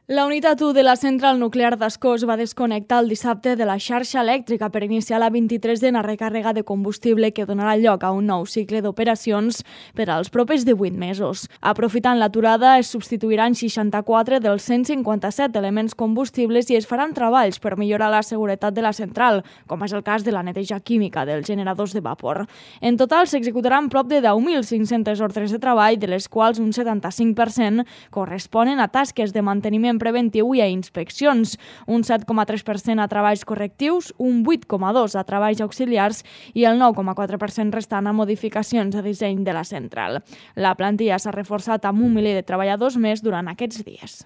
La unitat 1 de la central nuclear d'Ascó es va desconnectar el dissabte de la xarxa elèctrica per iniciar la 23a recàrrega de combustible que donarà lloc a un nou cicle d'operacions per als propers 18 mesos. Aprofitant l'aturada, es substituiran 64 dels 157 elements combustibles i es faran treballs per millorar la seguretat de la central, com és el cas de la neteja química dels generadors de vapor. En total, s'executaran prop de 10.500 ordres de treball, de les quals un 75% corresponen a tasques de manteniment preventiu i a inspeccions, un 7,3% a treballs correctius, un 8,2% a treballs auxiliars i el 9,4% restant a modificacions de disseny de la central. La plantilla s'ha reforçat amb 1 miler de treballadors més durant aquests dies.